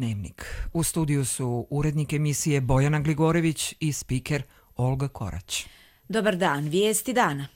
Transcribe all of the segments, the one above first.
Dnevnik. U studiju su urednik emisije Bojana Gligorević i spiker Olga Korać. Dobar dan, vijesti dana.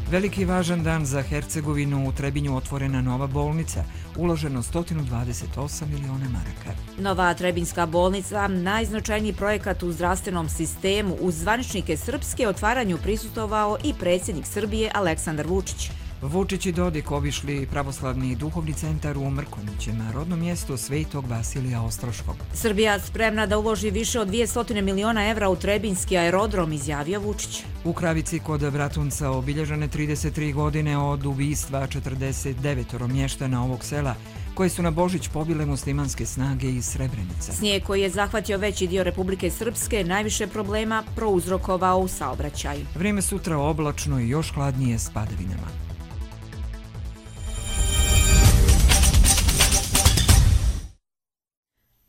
Veliki važan dan za Hercegovinu. U Trebinju otvorena nova bolnica, uloženo 128 miliona maraka. Nova Trebinjska bolnica, najznačajniji projekat u zdravstvenom sistemu, uz zvaničnike Srpske otvaranju prisustvovao i predsjednik Srbije Aleksandar Vučić. Vučić i Dodik obišli pravoslavni duhovni centar u Mrkonjićima, rodnom mjestu Svetog Vasilija Ostroškog. Srbija spremna da uloži više od 200 miliona evra u Trebinjski aerodrom, izjavio Vučić. U Kravici kod Bratunca obilježene 33 godine od ubistva 49 mještana ovog sela, koje su na Božić pobile muslimanske snage iz Srebrenice. Snijeg koji je zahvatio veći dio Republike Srpske najviše problema prouzrokovao u saobraćaju. Vrijeme sutra oblačno i još hladnije s padavinama.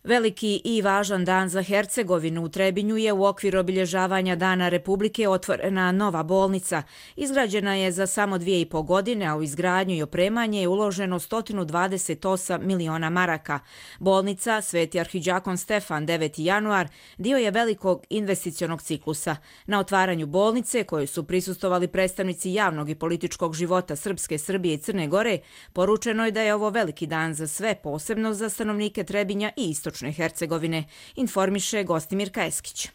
Veliki i važan dan za Hercegovinu. U Trebinju je u okviru obilježavanja Dana Republike otvorena nova bolnica. Izgrađena je za samo 2,5 godine, a u izgradnju i opremanje je uloženo 128 miliona maraka. Bolnica Sveti arhidžakon Stefan 9. januar dio je velikog investicionog ciklusa. Na otvaranju bolnice, kojoj su prisustvovali predstavnici javnog i političkog života Srpske, Srbije i Crne Gore, poručeno je da je ovo veliki dan za sve, posebno za stanovnike Trebinja i Istočne Hercegovine, informiše Gostimirka Eskić.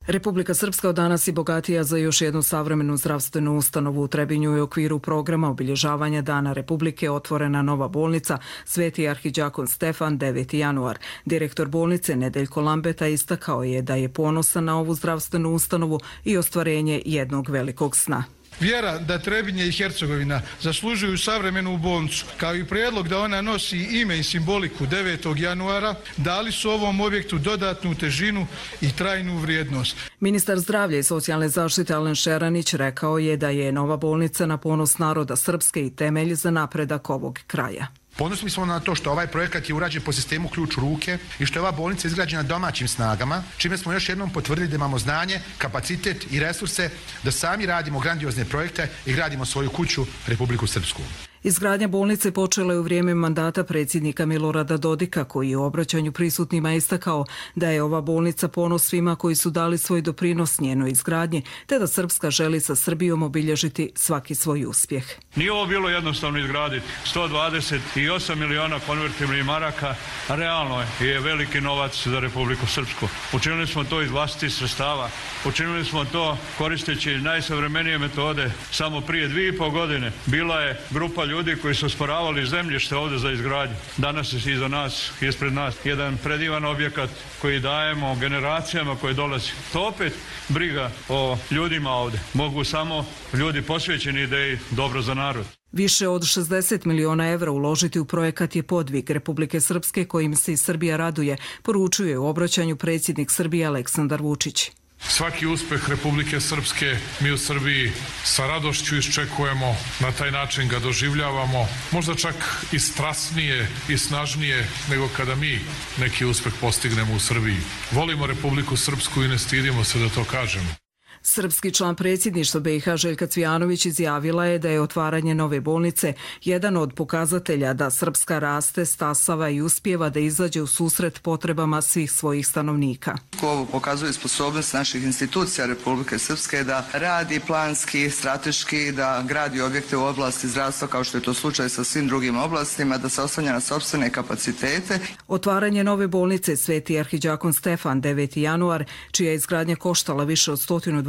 Republika Srpska od danas je bogatija za još jednu savremenu zdravstvenu ustanovu. U Trebinju je u okviru programa obilježavanja Dana Republike otvorena nova bolnica Sveti arhidžakon Stefan 9. januar. Direktor bolnice Nedeljko Lambeta istakao je da je ponosan na ovu zdravstvenu ustanovu i ostvarenje jednog velikog sna. Vjera da Trebinje i Hercegovina zaslužuju savremenu bolnicu, kao i prijedlog da ona nosi ime i simboliku 9. januara, dali su ovom objektu dodatnu težinu i trajnu vrijednost. Ministar zdravlja i socijalne zaštite Alen Šeranić rekao je da je nova bolnica na ponos naroda Srpske i temelj za napredak ovog kraja. Ponosni smo na to što ovaj projekat je urađen po sistemu ključ u ruke i što je ova bolnica izgrađena domaćim snagama, čime smo još jednom potvrdili da imamo znanje, kapacitet i resurse da sami radimo grandiozne projekte i gradimo svoju kuću, Republiku Srpsku. Izgradnja bolnice počela je u vrijeme mandata predsjednika Milorada Dodika, koji je u obraćanju prisutnima istakao da je ova bolnica ponos svima koji su dali svoj doprinos njenoj izgradnji, te da Srpska želi sa Srbijom obilježiti svaki svoj uspjeh. Nije ovo bilo jednostavno izgraditi. 128 miliona konvertibilnih maraka realno je veliki novac za Republiku Srpsku. Učinili smo to iz vlastitih sredstava. Učinili smo to koristeći najsavremenije metode. Samo prije 2,5 godine bila je grupa ljudi koji su osporavali zemljište ovdje za izgradnju. Danas je iza nas, ispred nas, jedan predivan objekat koji dajemo generacijama koje dolazi. To opet briga o ljudima ovdje. Mogu samo ljudi posvećeni ideji dobro za narod. Više od 60 miliona evra uložiti u projekat je podvig Republike Srpske kojim se i Srbija raduje, poručuje u obraćanju predsjednik Srbije Aleksandar Vučić. Svaki uspeh Republike Srpske mi u Srbiji sa radošću iščekujemo, na taj način ga doživljavamo, možda čak i strasnije i snažnije nego kada mi neki uspeh postignemo u Srbiji. Volimo Republiku Srpsku i ne stidimo se da to kažemo. Srpski član predsjedništva BiH Željka Cvijanović izjavila je da je otvaranje nove bolnice jedan od pokazatelja da Srpska raste, stasava i uspijeva da izađe u susret potrebama svih svojih stanovnika. Ovo pokazuje sposobnost naših institucija Republike Srpske da radi planski, strateški, da gradi objekte u oblasti zdravstva kao što je to slučaj sa svim drugim oblastima, da se oslanja na sopstvene kapacitete. Otvaranje nove bolnice Sveti arhidžakon Stefan 9. januar, čija izgradnja koštala više od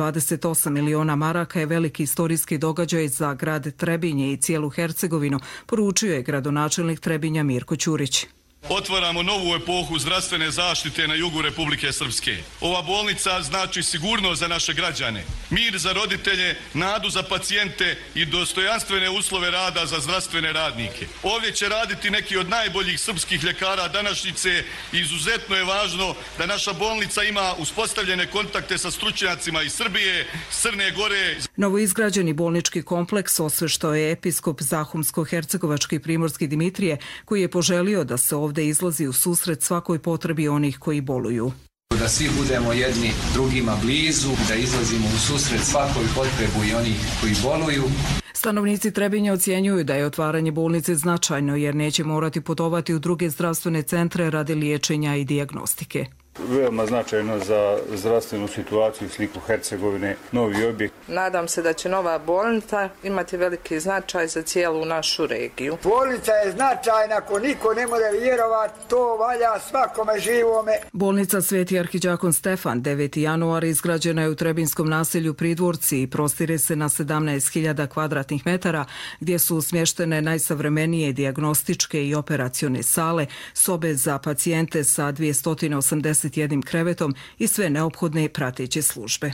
128 miliona maraka, je veliki istorijski događaj za grad Trebinje i cijelu Hercegovinu, poručio je gradonačelnik Trebinja Mirko Ćurić. Otvaramo novu epohu zdravstvene zaštite na jugu Republike Srpske. Ova bolnica znači sigurnost za naše građane, mir za roditelje, nadu za pacijente i dostojanstvene uslove rada za zdravstvene radnike. Ovdje će raditi neki od najboljih srpskih ljekara današnjice i izuzetno je važno da naša bolnica ima uspostavljene kontakte sa stručnjacima iz Srbije, Crne Gore. Novoizgrađeni bolnički kompleks osveštao je episkop Zahumsko-hercegovački Primorski Dimitrije, koji je poželio da se ovdje izlazi u susret svakoj potrebi onih koji boluju. Da svi budemo jedni drugima blizu, da izlazimo u susret svakoj potrebu i onih koji boluju. Stanovnici Trebinja ocjenjuju da je otvaranje bolnice značajno jer neće morati putovati u druge zdravstvene centre radi liječenja i dijagnostike. Veoma značajno za zdravstvenu situaciju i sliku Hercegovine, novi objekt. Nadam se da će nova bolnica imati veliki značaj za cijelu našu regiju. Bolnica je značajna, ako niko ne može vjerovati, to valja svakome živome. Bolnica Sveti arhidjakon Stefan 9. januara izgrađena je u Trebinskom naselju Pridvorci i prostire se na 17.000 kvadratnih metara gdje su smještene najsavremenije dijagnostičke i operacione sale, sobe za pacijente sa 281 krevetom i sve neophodne prateće službe.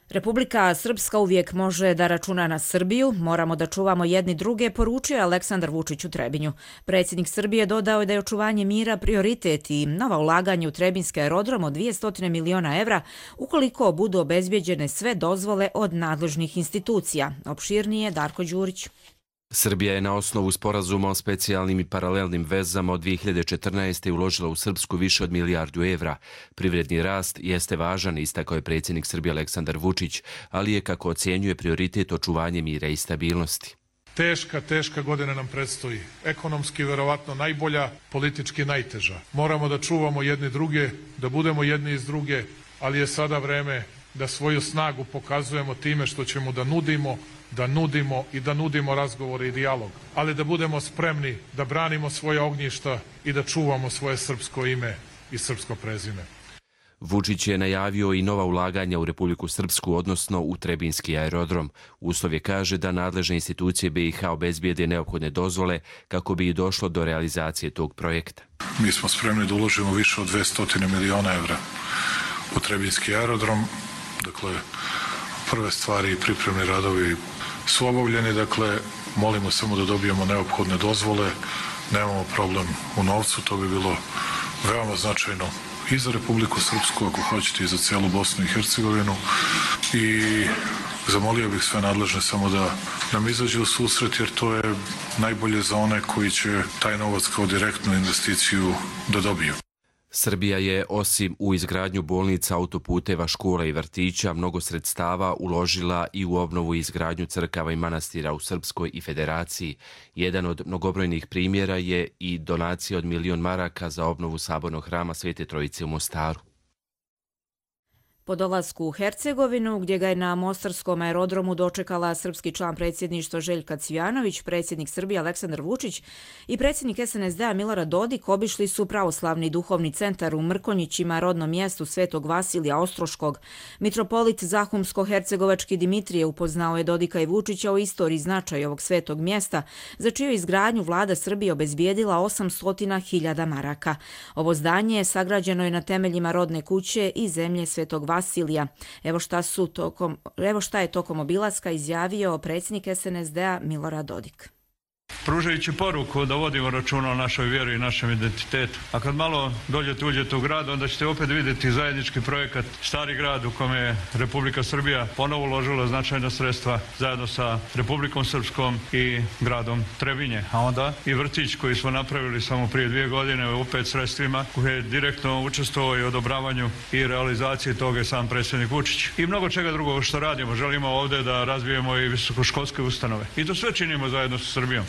Republika Srpska uvijek može da računa na Srbiju, moramo da čuvamo jedni druge, poručio je Aleksandar Vučić u Trebinju. Predsjednik Srbije dodao je da je očuvanje mira prioritet i nova ulaganja u Trebinski aerodrom od 200 miliona evra ukoliko budu obezbjeđene sve dozvole od nadležnih institucija. Opširnije Darko Đurić. Srbija je na osnovu sporazuma o specijalnim i paralelnim vezama od 2014. uložila u Srpsku više od milijardu evra. Privredni rast jeste važan, istakao je predsjednik Srbije Aleksandar Vučić, ali je, kako ocjenjuje, prioritet očuvanje mira i stabilnosti. Teška godina nam predstoji. Ekonomski verovatno najbolja, politički najteža. Moramo da čuvamo jedni druge, da budemo jedni iz druge, ali je sada vreme da svoju snagu pokazujemo time što ćemo da nudimo razgovore i dijalog, ali da budemo spremni da branimo svoje ognjišta i da čuvamo svoje srpsko ime i srpsko prezime. Vučić je najavio i nova ulaganja u Republiku Srpsku, odnosno u Trebinski aerodrom. Uslov je, kaže, da nadležne institucije BiH obezbijede neophodne dozvole kako bi došlo do realizacije tog projekta. Mi smo spremni da uložimo više od 200 miliona evra u Trebinski aerodrom. Dakle, prve stvari i pripremni radovi su obavljeni, dakle, molimo samo da dobijemo neophodne dozvole, nemamo problem u novcu, to bi bilo veoma značajno i za Republiku Srpsku, ako hoćete, i za cijelu Bosnu i Hercegovinu, i zamolio bih sve nadležne samo da nam izađe u susret, jer to je najbolje za one koji će taj novac kao direktnu investiciju da dobiju. Srbija je, osim u izgradnju bolnica, autoputeva, škola i vrtića, mnogo sredstava uložila i u obnovu i izgradnju crkava i manastira u Srpskoj i Federaciji. Jedan od mnogobrojnih primjera je i donacija od 1 milion maraka za obnovu sabornog hrama Svete Trojice u Mostaru. Po dolasku u Hercegovinu, gdje ga je na mostarskom aerodromu dočekala srpski član predsjedništva Željka Cvijanović, predsjednik Srbije Aleksandar Vučić i predsjednik SNSD-a Milorad Dodik obišli su pravoslavni duhovni centar u Mrkonjićima, rodnom mjestu Svetog Vasilija Ostroškog. Mitropolit Zahumsko-hercegovački Dimitrije upoznao je Dodika i Vučića o istoriji značaja ovog svetog mjesta, za čiju izgradnju vlada Srbije obezbijedila 800.000 maraka. Ovo zdanje sagrađeno je na temeljima rodne kuće i zemlje Svetog Vasilija. Evo šta je tokom obilaska izjavio predsjednik SNSD-a Milorad Dodik. Pružajući poruku da vodimo računa o našoj vjeri i našem identitetu. A kad malo uđete u grad, onda ćete opet vidjeti zajednički projekat Stari grad u kome je Republika Srbija ponovo uložila značajna sredstva zajedno sa Republikom Srpskom i gradom Trebinje. A onda i vrtić koji smo napravili samo prije 2 godine opet sredstvima, koji je direktno učestvovao i odobravanju i realizaciji toga je sam predsjednik Vučić. I mnogo čega drugog što radimo. Želimo ovdje da razvijemo i visokoškolske ustanove. I to sve činimo zajedno sa Srbijom.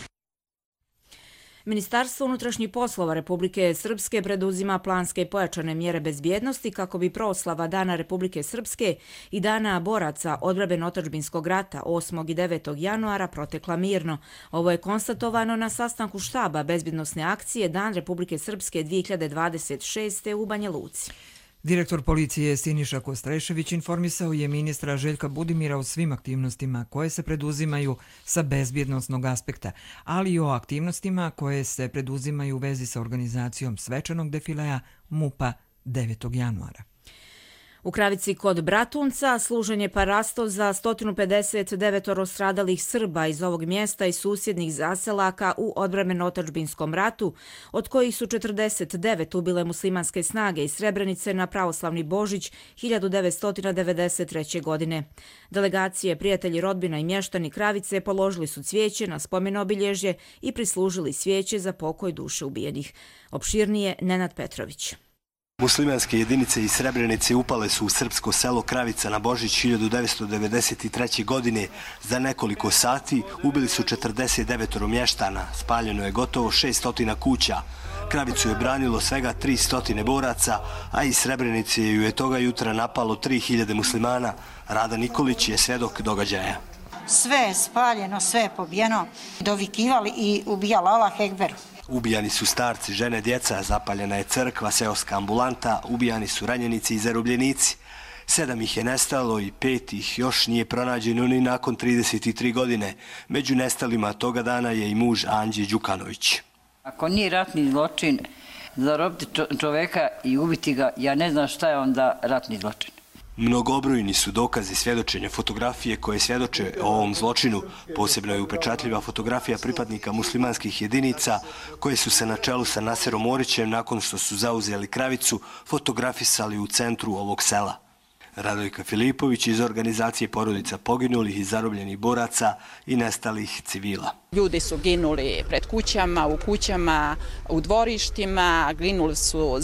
Ministarstvo unutrašnjih poslova Republike Srpske preduzima planske i pojačane mjere bezbjednosti kako bi proslava Dana Republike Srpske i Dana boraca odbrambeno-otadžbinskog rata 8. i 9. januara protekla mirno. Ovo je konstatovano na sastanku štaba bezbjednosne akcije Dan Republike Srpske 2026. u Banja Luci. Direktor policije Siniša Kostrešević informisao je ministra Željka Budimira o svim aktivnostima koje se preduzimaju sa bezbjednosnog aspekta, ali i o aktivnostima koje se preduzimaju u vezi sa organizacijom svečanog defilea MUP-a 9. januara. U Kravici kod Bratunca služen je parasto za 159 stradalih Srba iz ovog mjesta i susjednih zaselaka u odbrambeno-otadžbinskom ratu, od kojih su 49 ubile muslimanske snage iz Srebrenice na pravoslavni Božić 1993. godine. Delegacije, prijatelji, rodbina i mještani Kravice položili su cvijeće na spomen obilježje i prislužili cvijeće za pokoj duše ubijenih. Opširnije Nenad Petrović. Muslimanske jedinice iz Srebrenice upale su u srpsko selo Kravica na Božić 1993. godine. Za nekoliko sati ubili su 49 mještana, spaljeno je gotovo 600 kuća. Kravicu je branilo svega 300 boraca, a iz Srebrenice ju je toga jutra napalo 3000 muslimana. Rada Nikolić je svjedok događaja. Sve je spaljeno, sve je pobijeno, dovikivali i ubijali Allah Ekber. Ubijani su starci, žene, djeca, zapaljena je crkva, seoska ambulanta, ubijani su ranjenici i zarobljenici. 7 ih je nestalo i 5 ih još nije pronađeno ni nakon 33 godine. Među nestalima toga dana je i muž Anđe Đukanović. Ako nije ratni zločin zarobiti čoveka i ubiti ga, ja ne znam šta je onda ratni zločin. Mnogobrojni su dokazi svjedočenja, fotografije koje svjedoče o ovom zločinu. Posebno je upečatljiva fotografija pripadnika muslimanskih jedinica koje su se na čelu sa Naserom Orićem nakon što su zauzeli Kravicu fotografisali u centru ovog sela. Radojka Filipović iz organizacije porodica poginulih i zarobljenih boraca i nestalih civila. Ljudi su ginuli pred kućama, u kućama, u dvorištima, ginuli su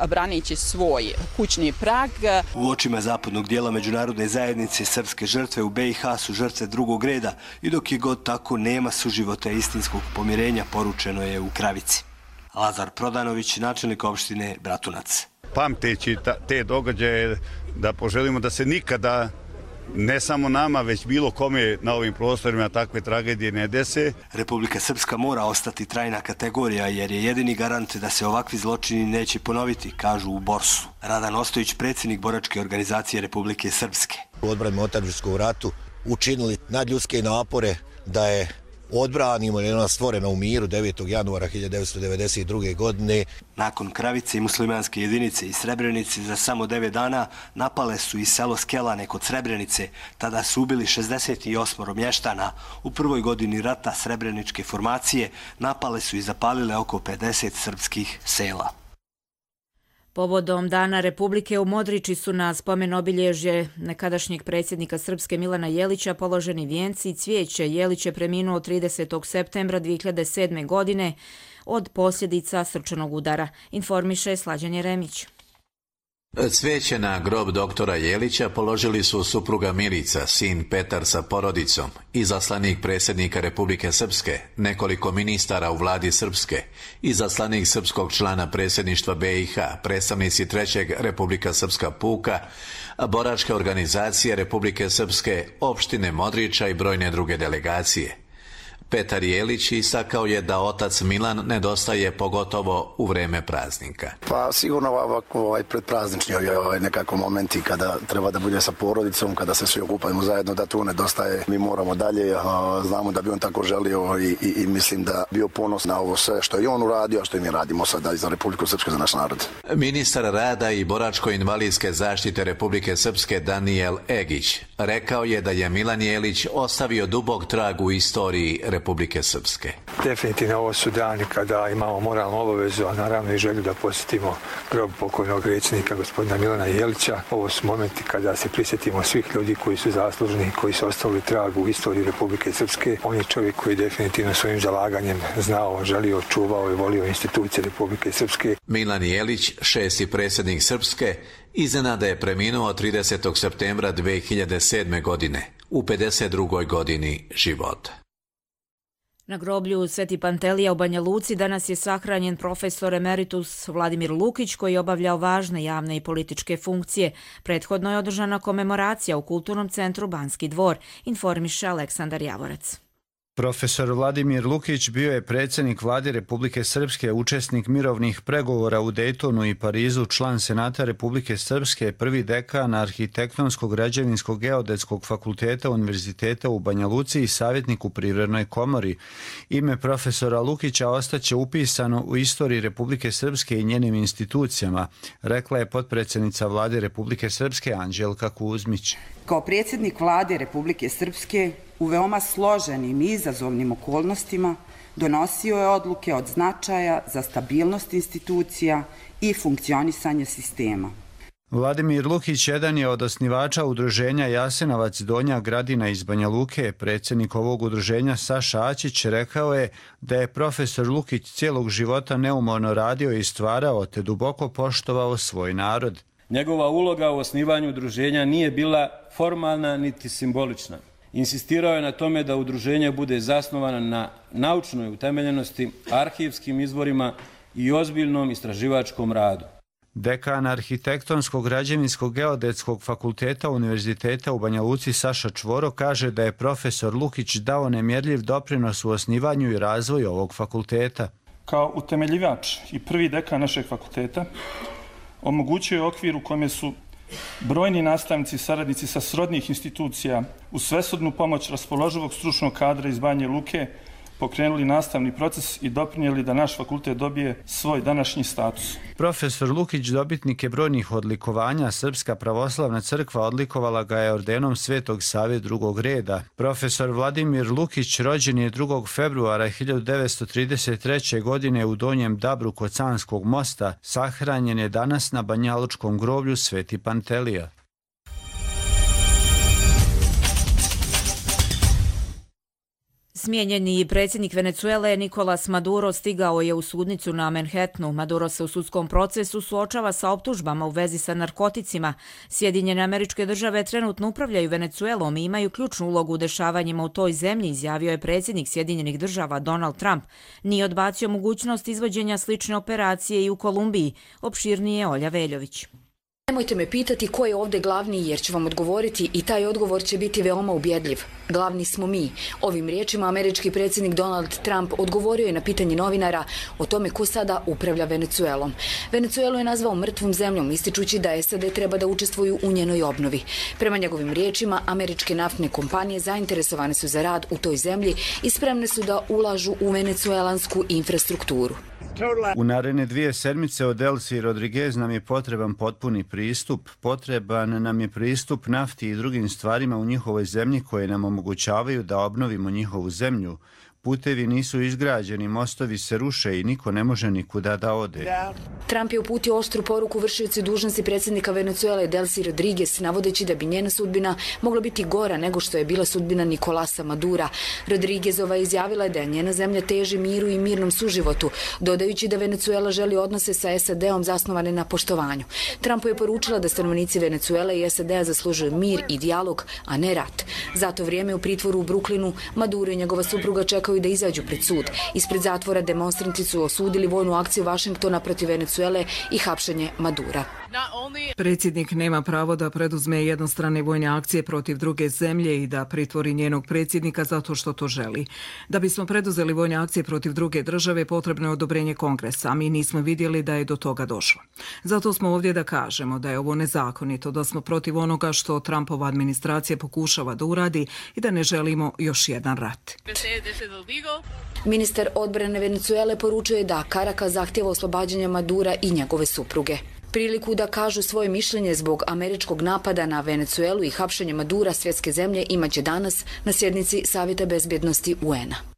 branići svoj kućni prag. U očima zapadnog dijela međunarodne zajednice srpske žrtve u BiH su žrtve drugog reda i dok je god tako nema suživota istinskog pomirenja, poručeno je u Kravici. Lazar Prodanović, načelnik opštine Bratunac. Pamteći te događaje da poželimo da se nikada, ne samo nama, već bilo kome na ovim prostorima takve tragedije ne dese. Republika Srpska mora ostati trajna kategorija jer je jedini garant da se ovakvi zločini neće ponoviti, kažu u Borsu. Radan Ostojić, predsjednik boračke organizacije Republike Srpske. U odbrani u otadžbinskog ratu učinili nadljudske napore da je odbranimo jer je ona stvorena u miru 9. januara 1992. godine. Nakon Kravice i muslimanske jedinice iz Srebrenice za samo 9 dana napale su i selo Skelane kod Srebrenice. Tada su ubili 68 mještana. U prvoj godini rata srebreničke formacije napale su i zapalile oko 50 srpskih sela. Povodom Dana Republike u Modriči su na spomen obilježje nekadašnjeg predsjednika Srpske Milana Jelića položeni vijenci i cvijeće. Jelić je preminuo 30. septembra 2007. godine od posljedica srčanog udara, informiše Slađan Jeremić. Cvijeće na grob doktora Jelića položili su supruga Milica, sin Petar sa porodicom, izaslanik predsjednika Republike Srpske, nekoliko ministara u vladi Srpske, izaslanik srpskog člana predsjedništva BiH, predstavnici 3. Republika Srpska puka, boračke organizacije Republike Srpske, opštine Modriča i brojne druge delegacije. Petar Jelić istakao je da otac Milan nedostaje pogotovo u vreme praznika. Pa sigurno ovako predpraznični nekako momenti kada treba da bude sa porodicom, kada se svi okupamo zajedno, da tu nedostaje. Mi moramo dalje, znamo da bi on tako želio i mislim da bio ponos na ovo sve što je on uradio, a što i mi radimo sada za Republiku Srpsku, za naš narod. Ministar rada i boračko-invalidske zaštite Republike Srpske Danijel Egić rekao je da je Milan Jelić ostavio dubok trag u istoriji Republike Srpske. Definitivno ovo su dani kada imamo moralnu obavezu, a naravno i želju da posjetimo grob pokojnog predsjednika gospodina Milana Jelića. Ovo su momenti kada se prisjetimo svih ljudi koji su zaslužni, koji su ostavili trag u istoriji Republike Srpske. On je čovjek koji definitivno svojim zalaganjem znao, želio, čuvao i volio institucije Republike Srpske. Milan Jelić, 6. predsjednik Srpske, iznenada je preminuo 30. septembra 2007. godine, u 52. godini života. Na groblju Sveti Pantelija u Banja Luci danas je sahranjen profesor emeritus Vladimir Lukić koji je obavljao važne javne i političke funkcije. Prethodno je održana komemoracija u Kulturnom centru Banski dvor, informiše Aleksandar Javorac. Profesor Vladimir Lukić bio je predsjednik vlade Republike Srpske, učesnik mirovnih pregovora u Dejtonu i Parizu, član Senata Republike Srpske, prvi dekan Arhitektonskog građevinskog geodetskog fakulteta Univerziteta u Banja Luci i savjetnik u Privrednoj komori. Ime profesora Lukića ostaće upisano u istoriji Republike Srpske i njenim institucijama, rekla je potpredsjednica vlade Republike Srpske Anđelka Kuzmić. Kao predsjednik vlade Republike Srpske u veoma složenim i izazovnim okolnostima donosio je odluke od značaja za stabilnost institucija i funkcionisanje sistema. Vladimir Lukić jedan je od osnivača udruženja Jasenovac Donja Gradina iz Banja Luke. Predsjednik ovog udruženja Saša Ačić rekao je da je profesor Lukić cijelog života neumorno radio i stvarao te duboko poštovao svoj narod. Njegova uloga u osnivanju udruženja nije bila formalna niti simbolična. Insistirao je na tome da udruženje bude zasnovano na naučnoj utemeljenosti, arhivskim izvorima i ozbiljnom istraživačkom radu. Dekan Arhitektonskog građevinskog geodetskog fakulteta Univerziteta u Banja Luci Saša Čvoro kaže da je profesor Lukić dao nemjerljiv doprinos u osnivanju i razvoju ovog fakulteta. Kao utemeljivač i prvi dekan našeg fakulteta omogućio je okvir u kome su brojni nastavnici i saradnici sa srodnih institucija uz svesrdnu pomoć raspoloživog stručnog kadra iz Banje Luke pokrenuli nastavni proces i doprinijeli da naš fakultet dobije svoj današnji status. Profesor Lukić dobitnik je brojnih odlikovanja. Srpska pravoslavna crkva odlikovala ga je ordenom Svetog Save drugog reda. Profesor Vladimir Lukić rođen je 2. februara 1933. godine u Donjem Dabru kod Canskog mosta. Sahranjen je danas na banjalučkom groblju Sveti Pantelija. Smijenjeni predsjednik Venecuele Nicolas Maduro stigao je u sudnicu na Manhattanu. Maduro se u sudskom procesu suočava sa optužbama u vezi sa narkoticima. Sjedinjene Američke Države trenutno upravljaju Venecuelom i imaju ključnu ulogu u dešavanjima u toj zemlji, izjavio je predsjednik Sjedinjenih Država Donald Trump. Nije odbacio mogućnost izvođenja slične operacije i u Kolumbiji. Opširnije Olja Veljović. Nemojte me pitati ko je ovdje glavni jer ću vam odgovoriti i taj odgovor će biti veoma ubjedljiv. Glavni smo mi. Ovim riječima američki predsjednik Donald Trump odgovorio je na pitanje novinara o tome ko sada upravlja Venecuelom. Venecuelu je nazvao mrtvom zemljom, ističući da SAD treba da učestvuju u njenoj obnovi. Prema njegovim riječima, američke naftne kompanije zainteresovane su za rad u toj zemlji i spremne su da ulažu u venecuelansku infrastrukturu. U naredne 2 sedmice od Delcy Rodriguez nam je potreban potpuni pristup. Potreban nam je pristup nafti i drugim stvarima u njihovoj zemlji koje nam omogućavaju da obnovimo njihovu zemlju. Putevi nisu izgrađeni, mostovi se ruše i niko ne može nikuda da ode. Trump je uputio oštru poruku vršiocu dužnosti predsjednika Venecuele Delcy Rodriguez, navodeći da bi njena sudbina mogla biti gora nego što je bila sudbina Nicolasa Madura. Rodriguezova izjavila je da njena zemlja teži miru i mirnom suživotu, dodajući da Venecuela želi odnose sa SAD-om zasnovane na poštovanju. Trumpu je poručila da stanovnici Venecuele i SAD-a zaslužuju mir i dijalog, a ne rat. Zato vrijeme u pritvoru u Brooklynu Maduro i njegova supruga čekaju da izađu pred sud. Ispred zatvora demonstranti su osudili vojnu akciju Vašingtona protiv Venecuele i hapšenje Madura. Predsjednik nema pravo da preduzme jednostrane vojne akcije protiv druge zemlje i da pritvori njenog predsjednika zato što to želi. Da bismo preduzeli vojne akcije protiv druge države, potrebno je odobrenje Kongresa, a mi nismo vidjeli da je do toga došlo. Zato smo ovdje da kažemo da je ovo nezakonito, da smo protiv onoga što Trumpova administracija pokušava da uradi i da ne želimo još jedan rat. Ministar odbrane Venecuele poručuje da Caracas zahtjeva oslobađanje Madura i njegove supruge. Priliku da kažu svoje mišljenje zbog američkog napada na Venecuelu i hapšenje Madura svjetske zemlje imaće danas na sjednici Savjeta bezbjednosti UN-a.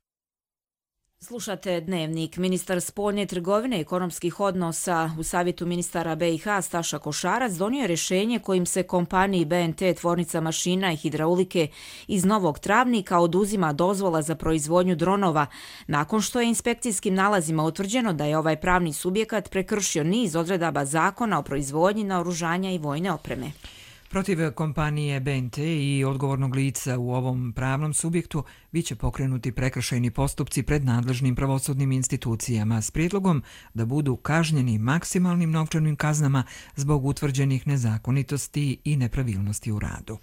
Slušate Dnevnik. Ministar spoljne trgovine i ekonomskih odnosa u Savjetu ministara BiH Staša Košarac donio je rješenje kojim se kompaniji BNT tvornica mašina i hidraulike iz Novog Travnika oduzima dozvola za proizvodnju dronova, nakon što je inspekcijskim nalazima utvrđeno da je ovaj pravni subjekat prekršio niz odredaba zakona o proizvodnji naoružanja i vojne opreme. Protiv kompanije BNT i odgovornog lica u ovom pravnom subjektu biće pokrenuti prekršajni postupci pred nadležnim pravosudnim institucijama s prijedlogom da budu kažnjeni maksimalnim novčanim kaznama zbog utvrđenih nezakonitosti i nepravilnosti u radu.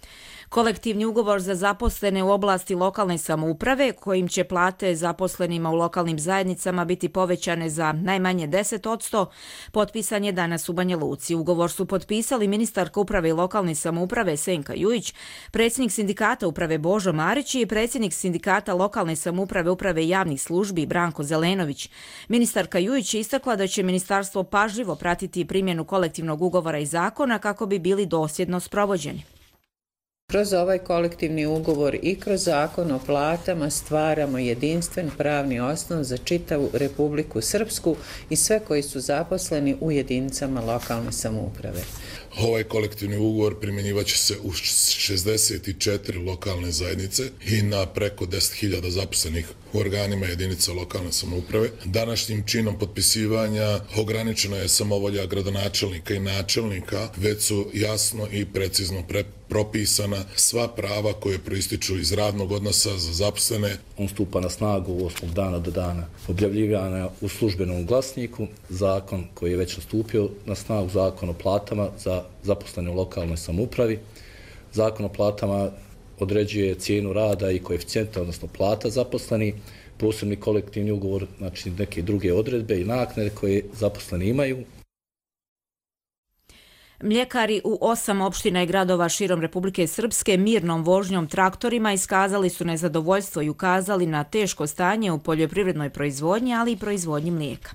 Kolektivni ugovor za zaposlene u oblasti lokalne samouprave, kojim će plate zaposlenima u lokalnim zajednicama biti povećane za najmanje 10%, potpisan je danas u Banja Luci. Ugovor su potpisali ministarka uprave i lokalne samouprave Senka Jujić, predsjednik sindikata uprave Božo Marić i predsjednik sindikata lokalne samouprave uprave javnih službi Branko Zelenović. Ministarka Jujić je istakla da će ministarstvo pažljivo pratiti primjenu kolektivnog ugovora i zakona kako bi bili dosljedno sprovođeni. Kroz ovaj kolektivni ugovor i kroz zakon o platama stvaramo jedinstven pravni osnov za čitavu Republiku Srpsku i sve koji su zaposleni u jedinicama lokalne samouprave. Ovaj kolektivni ugovor primjenjivaće se u 64 lokalne zajednice i na preko 10.000 zaposlenih u organima jedinica lokalne samouprave. Današnjim činom potpisivanja ograničena je samovolja gradonačelnika i načelnika, već su jasno i precizno propisana sva prava koje proističu iz radnog odnosa za zaposlene. On stupa na snagu 8. dana do dana objavljivanja u službenom glasniku, zakon koji je već nastupio na snagu, zakon o platama za zaposlene u lokalnoj samoupravi. Zakon o platama određuje cijenu rada i koeficijenta, odnosno plata zaposleni, posebni kolektivni ugovor, znači neke druge odredbe i naknade koje zaposleni imaju. Mljekari u 8 opština i gradova širom Republike Srpske mirnom vožnjom traktorima iskazali su nezadovoljstvo i ukazali na teško stanje u poljoprivrednoj proizvodnji, ali i proizvodnji mlijeka.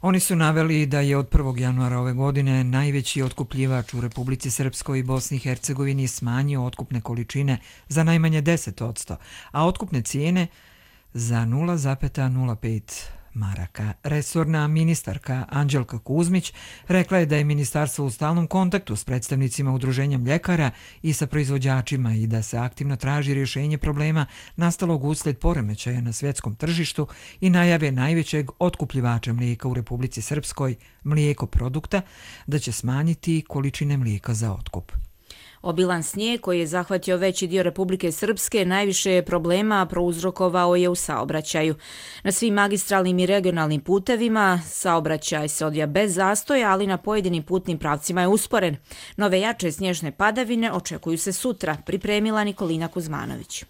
Oni su naveli da je od 1. januara ove godine najveći otkupljivač u Republici Srpskoj i Bosni i Hercegovini smanjio otkupne količine za najmanje 10%, a otkupne cijene za 0,05 maraka. Resorna ministarka Anđelka Kuzmić rekla je da je ministarstvo u stalnom kontaktu s predstavnicima udruženja mljekara i sa proizvođačima i da se aktivno traži rješenje problema nastalog usled poremećaja na svjetskom tržištu i najave najvećeg otkupljivača mlijeka u Republici Srpskoj, Mlijeko produkta, da će smanjiti količine mlijeka za otkup. Obilan snijeg koji je zahvatio veći dio Republike Srpske najviše problema prouzrokovao je u saobraćaju. Na svim magistralnim i regionalnim putevima saobraćaj se odvija bez zastoja, ali na pojedinim putnim pravcima je usporen. Nove jače snježne padavine očekuju se sutra, pripremila Nikolina Kuzmanović.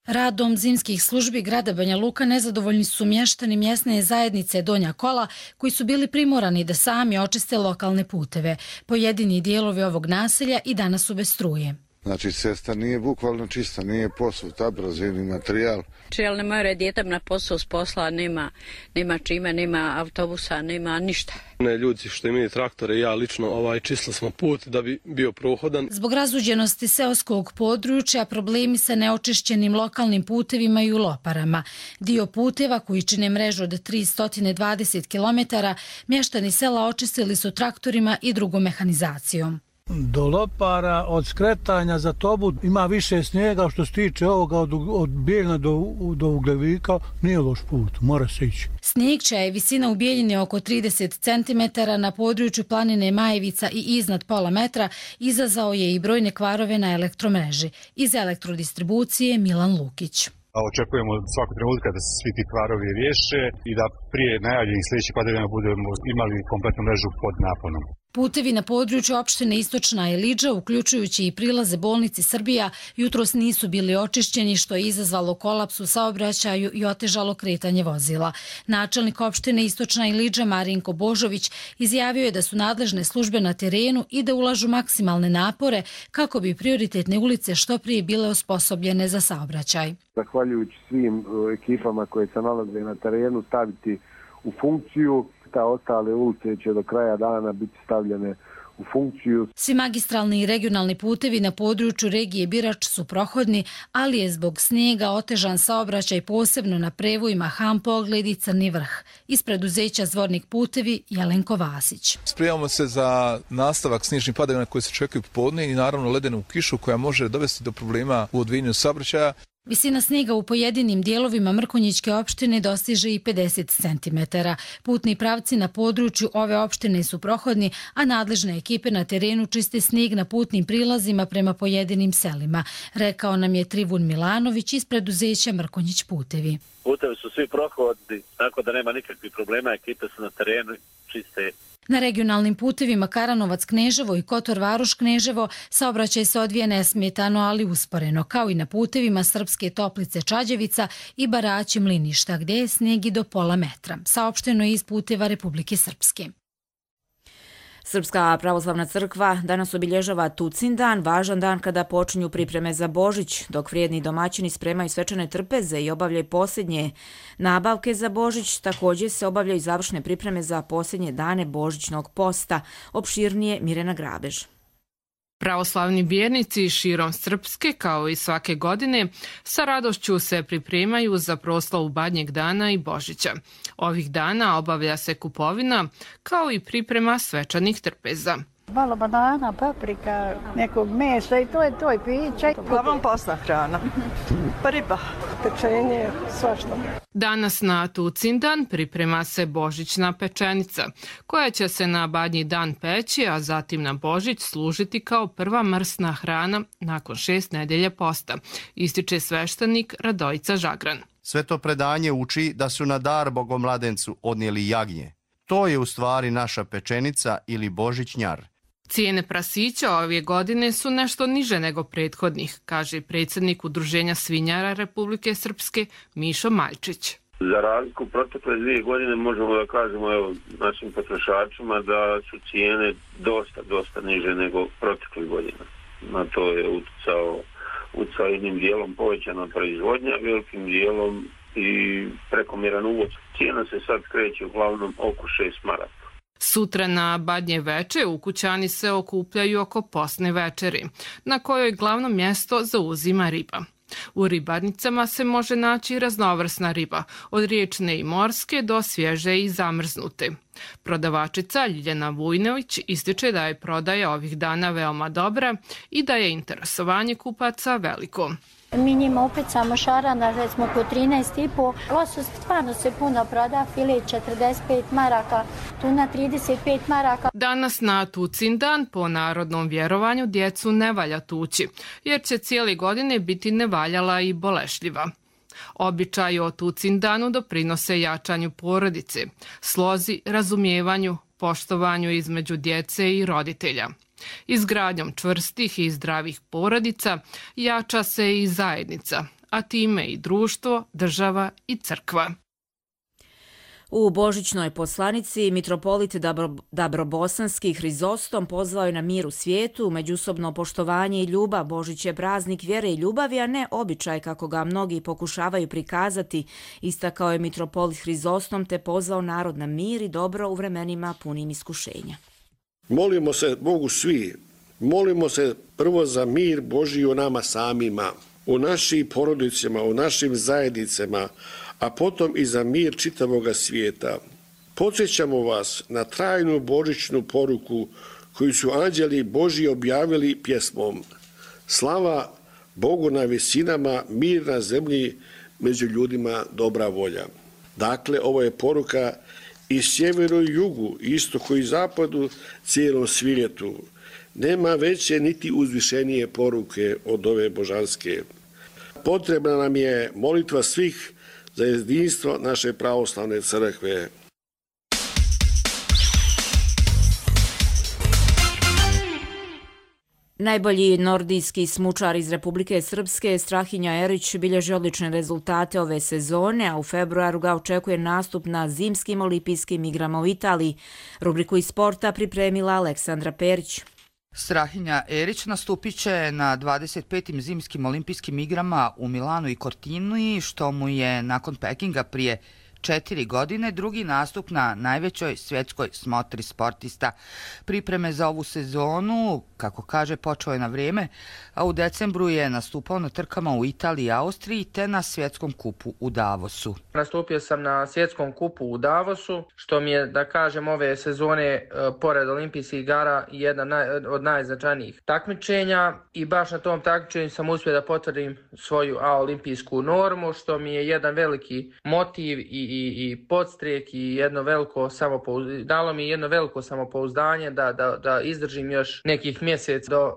Radom zimskih službi grada Banja Luka nezadovoljni su mještani mjesne zajednice Donja Kola, koji su bili primorani da sami očiste lokalne puteve. Pojedini dijelovi ovog naselja i danas su bez struje. Znači, cesta nije bukvalno čista, nije posut, abrazivni materijal. Ne more djetam na posao s posla, nema čime, nema autobusa, nema ništa. Ljudi što imaju traktore i ja lično čistili smo put da bi bio prohodan. Zbog razuđenosti seoskog područja problemi sa neočišćenim lokalnim putevima i u Loparama. Dio puteva koji čine mrežu od 320 km, mještani sela očistili su traktorima i drugom mehanizacijom. Do Lopara, od skretanja za Tobu ima više snijega, što se tiče ovoga od Bijeljna do Ugljevika, nije loš put, mora se ići. Snijeg čija je visina u Bijeljini oko 30 cm na području planine Majevica i iznad pola metra izazvao je i brojne kvarove na elektromreži. Iz elektrodistribucije Milan Lukić. Očekujemo svakog trenutka da se svi ti kvarovi riješe i da prije najavljenih sljedećih padavina budemo imali kompletnu mrežu pod naponom. Putevi na području opštine Istočna Ilidža, uključujući i prilaze bolnici Srbija, jutros nisu bili očišćeni, što je izazvalo kolaps u saobraćaju i otežalo kretanje vozila. Načelnik opštine Istočna Ilidža Marinko Božović izjavio je da su nadležne službe na terenu i da ulažu maksimalne napore kako bi prioritetne ulice što prije bile osposobljene za saobraćaj. Zahvaljujući svim ekipama koje se nalaze na terenu staviti u funkciju, ta ostale ulice će do kraja dana biti stavljene u funkciju. Svi magistralni i regionalni putevi na području regije Birač su prohodni, ali je zbog snijega otežan saobraćaj posebno na prevojima Ham-Pogled i Crni Vrh. Iz preduzeća Zvornik putevi Jelenko Vasić. Spremamo se za nastavak snježnih padavina koje se čekaju popodne i naravno ledenu kišu koja može dovesti do problema u odvijanju saobraćaja. Visina snijega u pojedinim dijelovima Mrkonjićke opštine dostiže i 50 cm. Putni pravci na području ove opštine su prohodni, a nadležne ekipe na terenu čiste snijeg na putnim prilazima prema pojedinim selima, rekao nam je Trivun Milanović iz preduzeća Mrkonjić putevi. Putevi su svi prohodni, tako da nema nikakvih problema, ekipe su na terenu čiste. Na regionalnim putevima Karanovac-Kneževo i Kotor-Varoš-Kneževo saobraćaj se odvija nesmetano, ali usporeno, kao i na putevima Srpske Toplice-Čađevica i Baraći-Mliništa, gdje je snijeg i do pola metra. Saopšteno je iz puteva Republike Srpske. Srpska pravoslavna crkva danas obilježava Tucin dan, važan dan kada počinju pripreme za Božić, dok vrijedni domaćini spremaju svečane trpeze i obavljaju posljednje nabavke za Božić. Također se obavljaju završne pripreme za posljednje dane Božićnog posta. Opširnije Mirena Grabež. Pravoslavni vjernici širom Srpske, kao i svake godine, sa radošću se pripremaju za proslavu Badnjeg dana i Božića. Ovih dana obavlja se kupovina, kao i priprema svečanih trpeza. Malo banana, paprika, nekog mesa i to je piće. Uglavnom posna hrana. Riba, pečenje, svašta. Danas na Tucindan priprema se božićna pečenica, koja će se na Badnji dan peći, a zatim na Božić služiti kao prva mrsna hrana nakon 6 nedelja posta, ističe sveštenik Radojica Žagran. Sveto predanje uči da su na dar Bogomladencu odnijeli jagnje. To je u stvari naša pečenica ili božićnjar. Cijene prasića ove godine su nešto niže nego prethodnih, kaže predsjednik Udruženja svinjara Republike Srpske Mišo Maljčić. Za razliku protekle 2 godine možemo da kažemo našim potrošačima da su cijene dosta niže nego proteklih godina. Na to je utjecao jednim dijelom povećana proizvodnja, velikim dijelom i prekomjeran uvoz. Cijena se sad kreće uglavnom oko 6 maraka. Sutra na Badnje veče ukućani se okupljaju oko posne večeri, na kojoj glavno mjesto zauzima riba. U ribarnicama se može naći raznovrsna riba, od riječne i morske do svježe i zamrznute. Prodavačica Ljiljana Vujnović ističe da je prodaja ovih dana veoma dobra i da je interesovanje kupaca veliko. Mi njima upecamo šarana, recimo po 13,5. Losos stvarno se puno proda, file 45 maraka, tuna 35 maraka. Danas na Tucindan po narodnom vjerovanju djecu ne valja tući, jer će cijele godine biti nevaljala i bolešljiva. Običaji o Tucindanu doprinose jačanju porodice, slozi, razumijevanju, poštovanju između djece i roditelja. Izgradnjom čvrstih i zdravih porodica jača se i zajednica, a time i društvo, država i crkva. U božićnoj poslanici mitropolit Dabrobosanski Hrizostom pozvao je na mir u svijetu, međusobno poštovanje i ljubav. Božić je praznik vjere i ljubavi, a ne običaj kako ga mnogi pokušavaju prikazati, istakao je mitropolit Hrizostom te pozvao narod na mir i dobro u vremenima punim iskušenja. Molimo se Bogu svi, molimo se prvo za mir Božji u nama samima, u našim porodicama, u našim zajednicama, a potom i za mir čitavoga svijeta. Podsjećamo vas na trajnu božićnu poruku koju su anđeli Božji objavili pjesmom. Slava Bogu na visinama, mir na zemlji, među ljudima dobra volja. Dakle, ovo je poruka i sjeveru i jugu, istoku i zapadu, cijelom svijetu. Nema veće niti uzvišenije poruke od ove božanske. Potrebna nam je molitva svih za jedinstvo naše pravoslavne crkve. Najbolji nordijski smučar iz Republike Srpske, Strahinja Erić, bilježi odlične rezultate ove sezone, a u februaru ga očekuje nastup na zimskim olimpijskim igrama u Italiji. Rubriku iz sporta pripremila Aleksandra Perić. Strahinja Erić nastupit će na 25. zimskim olimpijskim igrama u Milanu i Cortini, što mu je nakon Pekinga prije 4 godine drugi nastup na najvećoj svjetskoj smotri sportista. Pripreme za ovu sezonu, kako kaže, počeo je na vrijeme, a u decembru je nastupao na trkama u Italiji i Austriji te na svjetskom kupu u Davosu. Nastupio sam na svjetskom kupu u Davosu, što mi je, da kažem, ove sezone pored olimpijskih igara jedna od najznačajnijih takmičenja i baš na tom takmičenju sam uspio da potvrdim svoju olimpijsku normu, što mi je jedan veliki motiv i podstrijek i dalo mi jedno veliko samopouzdanje da izdržim još nekih mjesec do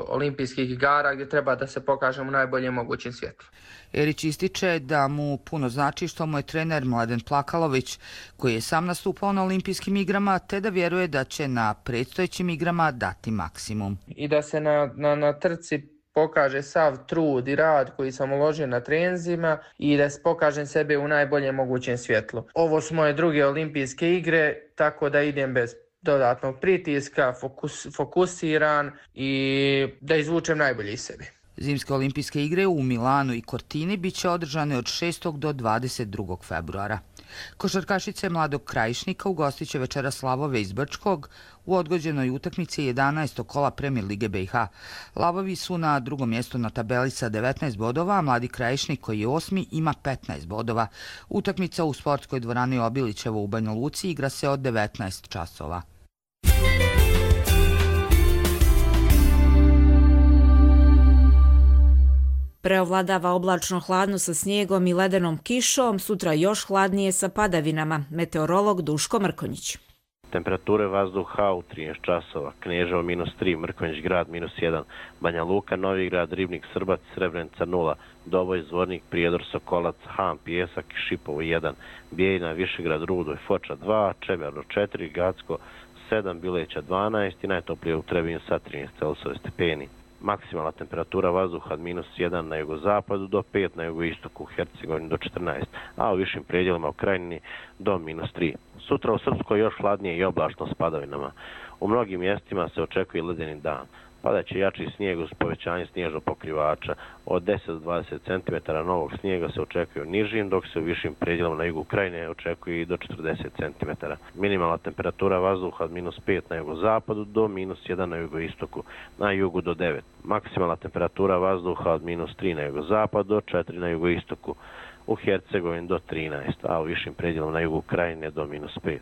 olimpijskih igara gdje treba da se pokažem u najboljem mogućem svjetlu. Erić ističe da mu puno znači što mu je trener Mladen Plakalović, koji je sam nastupao na olimpijskim igrama, te da vjeruje da će na predstojećim igrama dati maksimum. I da se na trci pokaže sav trud i rad koji sam uložio na treninzima i da pokažem sebe u najboljem mogućem svjetlu. Ovo su moje druge olimpijske igre, tako da idem bez dodatnog pritiska, fokusiran i da izvučem najbolje iz sebe. Zimske olimpijske igre u Milanu i Cortini biće održane od 6. do 22. februara. Košarkašice Mladog Krajišnika ugostit će večeras Lavove iz Brčkog u odgođenoj utakmici 11. kola Premier Lige BiH. Lavovi su na drugom mjestu na tabeli sa 19 bodova, a Mladi Krajišnik koji je 8. ima 15 bodova. Utakmica u sportskoj dvorani Obilićevo u Banja Luci igra se od 19 časova. Preovladava oblačno hladno sa snijegom i ledenom kišom, sutra još hladnije sa padavinama. Meteorolog Duško Mrkonjić. Temperature vazduha u 13 časova. Kneževo -3, Mrkonjić grad -1, Banja Luka, Novi grad, Ribnik, Srbac, Srebrenica 0, Doboj, Zvornik, Prijedor, Sokolac, Ham, Pijesak, Šipovo 1, Bijeljina, Višegrad, Rudoj, Foča 2, Čemerno 4, Gacko 7, Bileća 12 i najtoplije u Trebinju sa 13 Celsijevi stepeni. Maksimalna temperatura vazduha od -1 na jugozapadu do 5 na jugoistoku, u Hercegovini do 14, a u višim predjelima u Krajini do -3. Sutra u Srpskoj još hladnije i oblačno s padavinama. U mnogim mjestima se očekuje ledeni dan. Padaće jači snijeg uz povećanje snježnog pokrivača. Od 10 do 20 cm novog snijega se očekuje u nižim, dok se u višim predjelima na jugu Krajine očekuje i do 40 cm. Minimalna temperatura vazduha od -5 na jugozapadu do -1 na jugoistoku, na jugu do 9. Maksimalna temperatura vazduha od -3 na jugozapadu do 4 na jugoistoku, u Hercegovini do 13, a u višim predjelima na jugu Krajine do -5.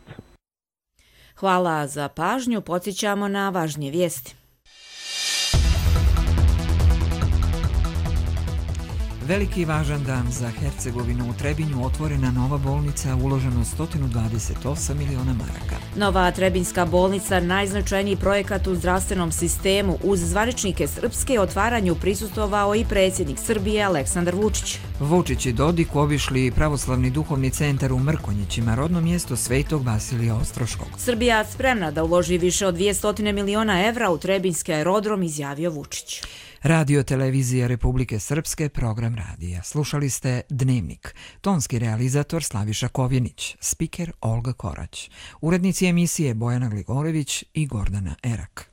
Hvala za pažnju, podsjećamo na važnije vijesti. Veliki i važan dan za Hercegovinu. U Trebinju otvorena nova bolnica, uloženo 128 miliona maraka. Nova Trebinjska bolnica, najznačajniji projekat u zdravstvenom sistemu. Uz zvaničnike Srpske otvaranju prisustvovao i predsjednik Srbije Aleksandar Vučić. Vučić i Dodik obišli pravoslavni duhovni centar u Mrkonjićima, rodno mjesto Svetog Vasilija Ostroškog. Srbija spremna da uloži više od 200 miliona evra u Trebinjski aerodrom, izjavio Vučić. Radio Televizija Republike Srpske, program radija. Slušali ste Dnevnik. Tonski realizator Slaviša Kovjenić, spiker Olga Korać. Urednici emisije Bojana Gligorević i Gordana Erak.